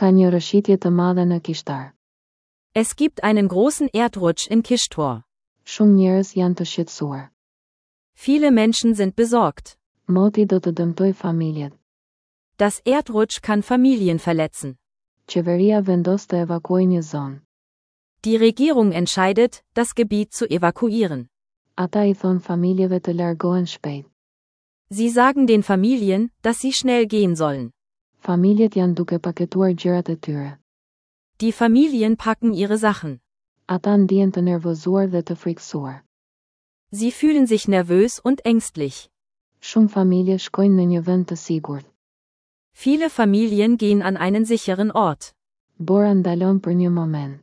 Ka një rrëshqitje të madhe në Kishtar. Es gibt einen großen Erdrutsch in Kishtor. Shumë njerëz janë të shqetësuar. Viele Menschen sind besorgt. Moti do të dëmtojë familjet. Das Erdrutsch kann Familien verletzen. Qeveria vendos të evakuojë një zonë. Die Regierung entscheidet, das Gebiet zu evakuieren. Ata i thonë familjeve të largohen shpejt. Sie sagen den Familien, dass sie schnell gehen sollen. Familjet janë duke paketuar gjërat e tyre. Die Familien packen ihre Sachen. Ata ndihen të nervozuar dhe të frikësuar. Sie fühlen sich nervös und ängstlich. Shumë familje shkojnë në një vend të sigurt. Viele Familien gehen an einen sicheren Ort. Bora ndalon për një moment.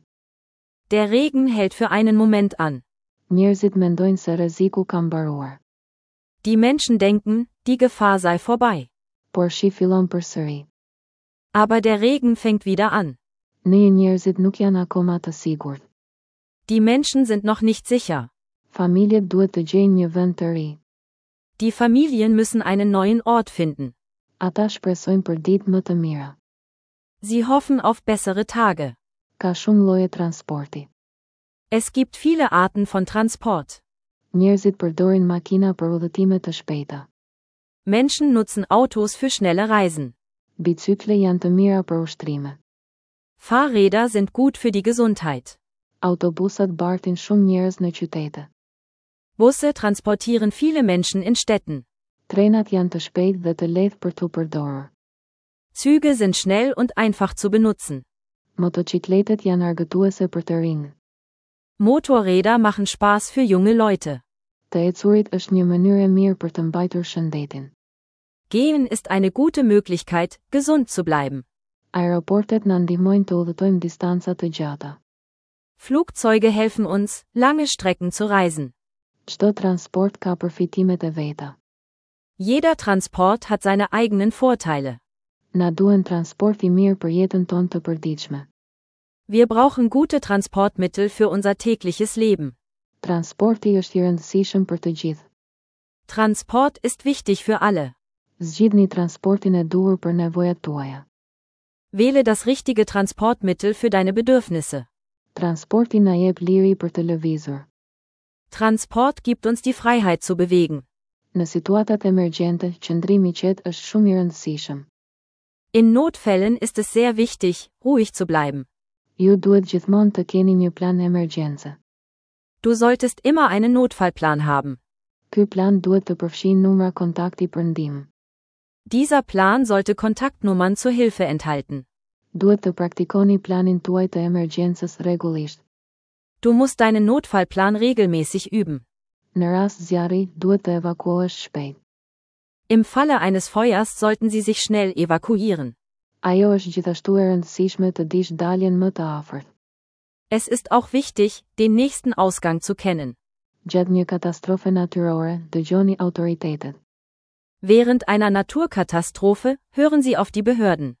Der Regen hält für einen Moment an. Njerëzit mendojnë se rreziku ka mbaruar. Die Menschen denken, die Gefahr sei vorbei. Por shi fillon përsëri. Aber der Regen fängt wieder an. Në njerëzit nuk janë akoma të sigurt. Die Menschen sind noch nicht sicher. Familjet duhet të gjejnë një vend të ri. Die Familien müssen einen neuen Ort finden. Ata shpresojnë për ditë më të mira. Sie hoffen auf bessere Tage. Ka shumë lloje transporti. Es gibt viele Arten von Transport. Njerëzit përdorin makina për udhëtime të shpejta. Menschen nutzen Autos für schnelle Reisen. Bicykle janë të mira për ushtrime. Fahrräder sind gut für die Gesundheit. Autobusat bartin shumë njerëz në qytete. Busse transportieren viele Menschen in Städten. Trenat janë të shpejtë dhe të lehtë për t'u përdorur. Züge sind schnell und einfach zu benutzen. Motocikletet janë argëtuese për të rinj. Motorräder machen Spaß für junge Leute. Të ecurit është një mënyrë e mirë për të mbajtur shëndetin. Gehen ist eine gute Möglichkeit, gesund zu bleiben. Aeroportet na ndihmojnë të udhëtojmë distanca të gjata. Flugzeuge helfen uns, lange Strecken zu reisen. Çdo transport ka përfitimet e veta. Jeder Transport hat seine eigenen Vorteile. Na duhen transport i mirë për jetën tonë të përditshme. Wir brauchen gute Transportmittel für unser tägliches Leben. Transporti është i rëndësishëm për të gjithë. Transport ist wichtig für alle. Zgjidhni transportin e duhur për nevojat tuaja. Wähle das richtige Transportmittel für deine Bedürfnisse. Transporti na jep liri për të lëvizur. Transport gibt uns die Freiheit zu bewegen. Në situatat emergjente, qëndrimi i qetë është shumë i rëndësishëm. In Notfällen ist es sehr wichtig, ruhig zu bleiben. Ju duhet gjithmonë të keni një plan emergjence. Du solltest immer einen Notfallplan haben. Ky plan duhet të përfshijë numra kontakti për ndihmë. Dieser Plan sollte Kontaktnummern zur Hilfe enthalten. Duhet të praktikoni planin tuaj të emergjencës rregullisht. Du musst deinen Notfallplan regelmäßig üben. Në rast zjarri, duhet të evakuohesh shpejt. Im Falle eines Feuers sollten Sie sich schnell evakuieren. Ajo është gjithashtu e rëndësishme të dish daljen më të afërt. Es ist auch wichtig, den nächsten Ausgang zu kennen. Gjatë një katastrofe natyrore, dëgjoni autoritetet. Während einer Naturkatastrophe, hören Sie auf die Behörden.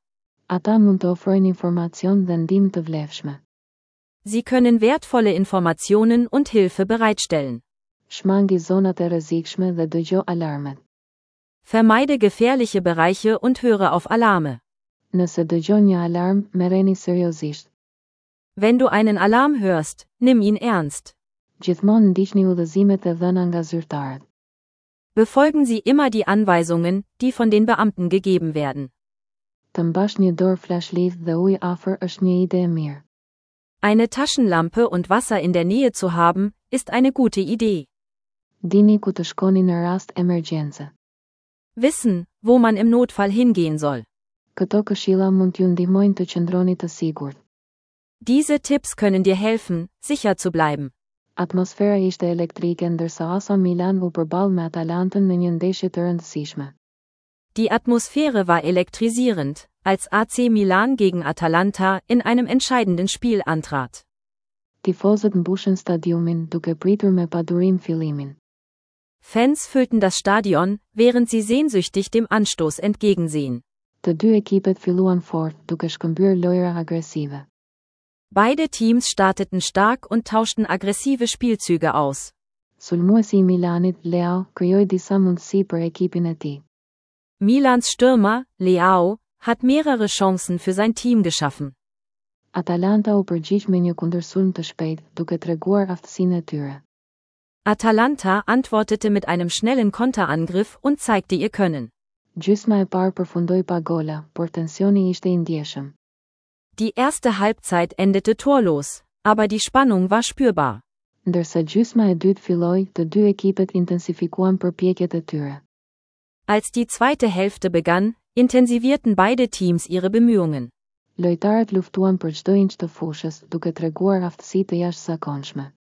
Ata mund të ofrojnë informacion dhe ndihmë të vlefshme. Sie können wertvolle Informationen und Hilfe bereitstellen. Shmangi zonat e rrezikshme dhe dëgjo alarmet. Vermeide gefährliche Bereiche und höre auf Alarme. Nëse dëgjon një alarm, merreni seriozisht. Wenn du einen Alarm hörst, nimm ihn ernst. Gjithmonë ndiqni udhëzimet e dhëna nga zyrtarët. Befolgen Sie immer die Anweisungen, die von den Beamten gegeben werden. Të mbash një dorë flashlight dhe ujë afër është një ide e mirë. Eine Taschenlampe und Wasser in der Nähe zu haben, ist eine gute Idee. Dini ku të shkoni në rast emergjence. Wissen, wo man im Notfall hingehen soll. Këto këshilla mund t'ju ndihmojnë të qëndroni të sigurt. Diese Tipps können dir helfen, sicher zu bleiben. Atmosfera ishte elektrike ndërsa AC Milan u përball me Atalantën në një ndeshje të rëndësishme. Die Atmosphäre war elektrisierend, als AC Milan gegen Atalanta in einem entscheidenden Spiel antrat. Tifozët mbushën stadiumin, duke pritur me padurim fillimin. Fans füllten das Stadion, während sie sehnsüchtig dem Anstoß entgegensehen. Të dy ekipet filluan fort, duke shkëmbyer lojra agresive. Beide Teams starteten stark und tauschten aggressive Spielzüge aus. Sulmuesi i Milanit, Leao, krijoi disa mundësi për ekipin e tij. Milans Stürmer, Leao, hat mehrere Chancen für sein Team geschaffen. Atalanta u përgjigj me një kundërsulm të shpejtë, duke treguar aftësinë e tyre. Atalanta antwortete mit einem schnellen Konterangriff und zeigte ihr Können. Gjysma e parë përfundoi pa gola, por tensioni ishte i ndjeshëm. Die erste Halbzeit endete torlos, aber die Spannung war spürbar. Ndërsa gjysma e dytë filloi, të dy ekipet intensifikuan përpjekjet e tyre. Als die zweite Hälfte begann, intensivierten beide Teams ihre Bemühungen. Lojtarët luftuan për çdo inç të fushës, duke treguar aftësi të jashtëzakonshme.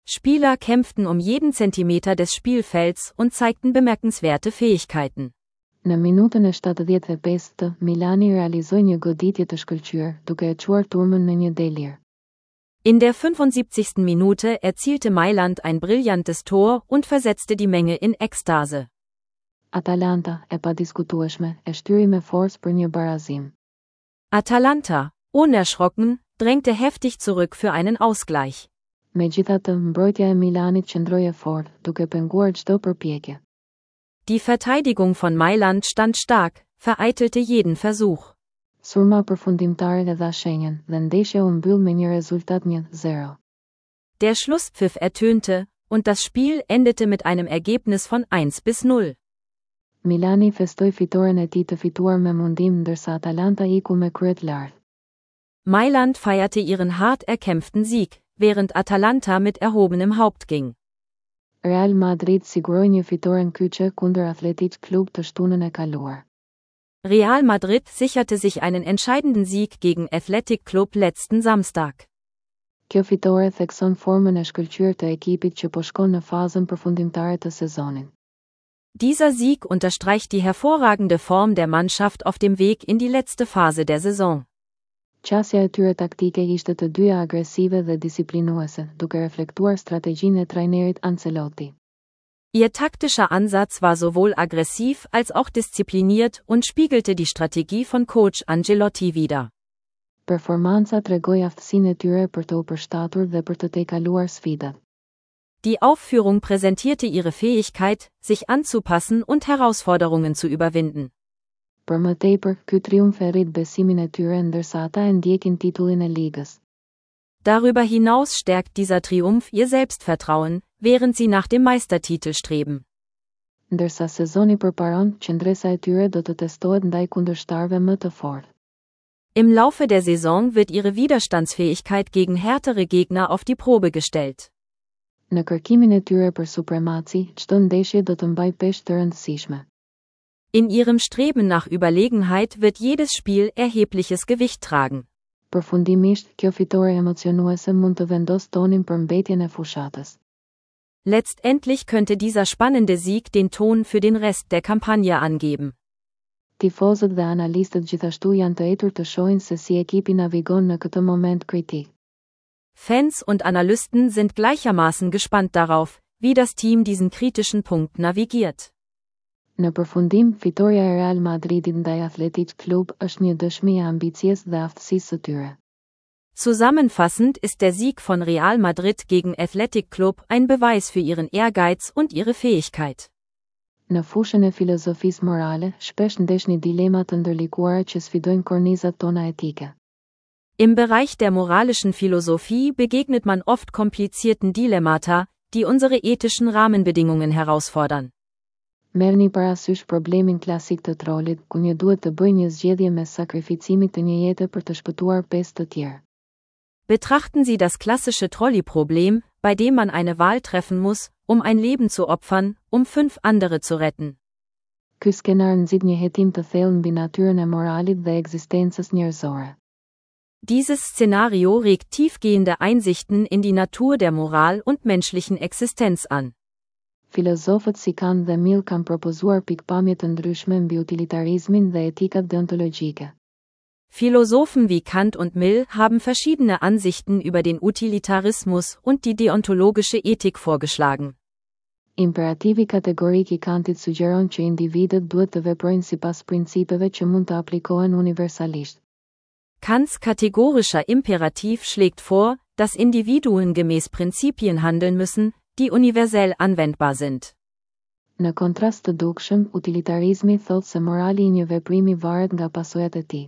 Spieler kämpften um jeden Zentimeter des Spielfelds und zeigten bemerkenswerte Fähigkeiten. Në minutën e 75 të, Milani realizoi një goditje të shkëlqyer, duke e çuar turmën në një delir. In der 75. Minute erzielte Mailand ein brillantes Tor und versetzte die Menge in Ekstase. Atalanta, e padiskutueshme, e shtyri me forcë për një barazim. Atalanta, unerschrocken, drängte heftig zurück für einen Ausgleich. Megjithatë, mbrojtja e Milanit qëndroi e fortë, duke penguar çdo përpjekje. Die Verteidigung von Mailand stand stark, vereitelte jeden Versuch. Zhurma përfundimtare e dha shenjën, dhe ndeshja u mbyll me një rezultat 1-0. Der Schlusspfiff ertönte, und das Spiel endete mit einem Ergebnis von 1 bis 0. Milani festoi fitoren e tij të fituar me mundim ndërsa Atalanta iku me kryet lart. Mailand feierte ihren hart erkämpften Sieg, während Atalanta mit erhobenem Haupt ging. Real Madrid siguroi një fitoren kyçe kundër Athletic Club të shtunën e kaluar. Real Madrid sicherte sich einen entscheidenden Sieg gegen Athletic Club letzten Samstag. Kjo fitore thekson formën e shkëlqyer të ekipit që po shkon në fazën përfundimtare të sezonit. Dieser Sieg unterstreicht die hervorragende Form der Mannschaft auf dem Weg in die letzte Phase der Saison. Qasja e tyre taktike ishte të dyja agresive dhe disiplinuese, duke reflektuar strategjinë e trajnerit Ancelotti. Ihr taktischer Ansatz war sowohl aggressiv als auch diszipliniert und spiegelte die Strategie von Coach Ancelotti wider. Performanca tregoi aftësinë e tyre për të u përshtatur dhe për të tejkaluar sfidat. Die Aufführung präsentierte ihre Fähigkeit, sich anzupassen und Herausforderungen zu überwinden. Për më tepër, ky triumf e rrit besimin e tyre ndërsa ata e ndjekin titullin e ligës. Darüber hinaus stärkt dieser Triumph ihr Selbstvertrauen, während sie nach dem Meistertitel streben. Ndërsa sezoni përparon, qëndresa e tyre do të testohet ndaj kundërshtarëve më të fortë. Im Laufe der Saison wird ihre Widerstandsfähigkeit gegen härtere Gegner auf die Probe gestellt. Në kërkimin e tyre për supremaci, çdo ndeshje do të mbajë peshë të rëndësishme. In ihrem Streben nach Überlegenheit wird jedes Spiel erhebliches Gewicht tragen. Përfundimisht, kjo fitore emocionuese mund të vendosë tonin për mbetjen e fushatës. Letztendlich könnte dieser spannende Sieg den Ton für den Rest der Kampagne angeben. Tifozët dhe analistët gjithashtu janë të etur të shohin se si ekipi navigon në këtë moment kritik. Fans und Analysten sind gleichermaßen gespannt darauf, wie das Team diesen kritischen Punkt navigiert. Në përfundim, fitorja e Real Madridit ndaj Athletic Club është një dëshmi e ambicies dhe aftësisë së tyre. Zusammenfassend ist der Sieg von Real Madrid gegen Athletic Club ein Beweis für ihren Ehrgeiz und ihre Fähigkeit. Në fushën e filozofisë morale, shpesh ndeshni dilema të ndërlikuara që sfidojnë kornizat tona etike. Im Bereich der moralischen Philosophie begegnet man oft komplizierten Dilemmata, die unsere ethischen Rahmenbedingungen herausfordern. Merrni parasysh problemin klasik të trolit, ku një duhet të bëjë një zgjedhje mes sakrificimit të një jete për të shpëtuar pesë të tjerë. Betrachten Sie das klassische Trolley-Problem, bei dem man eine Wahl treffen muss, um ein Leben zu opfern, um fünf andere zu retten. Ky skenar nxit një hetim të thellë mbi natyrën e moralit dhe ekzistencës njerëzore. Dieses Szenario regt tiefgehende Einsichten in die Natur der Moral und menschlichen Existenz an. Filozofët si Kant dhe Mill kanë propozuar pikëpamje të ndryshme mbi utilitarizmin dhe etikat deontologjike. Philosophen wie Kant und Mill haben verschiedene Ansichten über den Utilitarismus und die deontologische Ethik vorgeschlagen. Imperativi kategorik i Kantit sugjeron që individët duhet të veprojnë sipas principeve që mund të aplikohen universalisht. Kants kategorischer Imperativ schlägt vor, dass Individuen gemäß Prinzipien handeln müssen, die universell anwendbar sind. Në kontrast të dukshëm, utilitarizmi thotë se morali i një veprimi varet nga pasojat e tij.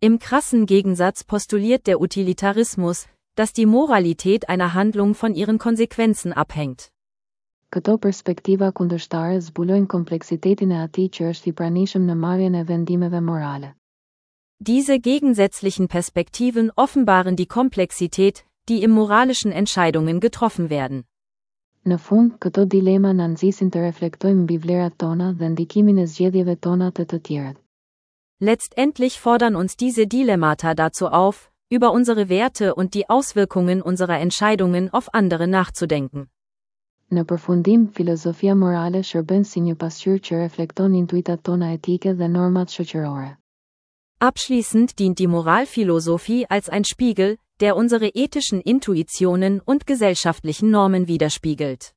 Im krassen Gegensatz postuliert der Utilitarismus, dass die Moralität einer Handlung von ihren Konsequenzen abhängt. Këto perspektiva kundërshtare zbulojnë kompleksitetin e atij që është i pranishëm në marrjen e vendimeve morale. Diese gegensätzlichen Perspektiven offenbaren die Komplexität, die im moralischen Entscheidungen getroffen werden. Në fund, këto dilema na nxisin të reflektojmë mbi vlerat tona dhe ndikimin e zgjedhjeve tona te të tjerët. Letztendlich fordern uns diese Dilemmata dazu auf, über unsere Werte und die Auswirkungen unserer Entscheidungen auf andere nachzudenken. Në përfundim, filozofia morale shërben si një pasqyrë që reflekton intuitat tona etike dhe normat shoqërore. Abschließend dient die Moralphilosophie als ein Spiegel, der unsere ethischen Intuitionen und gesellschaftlichen Normen widerspiegelt.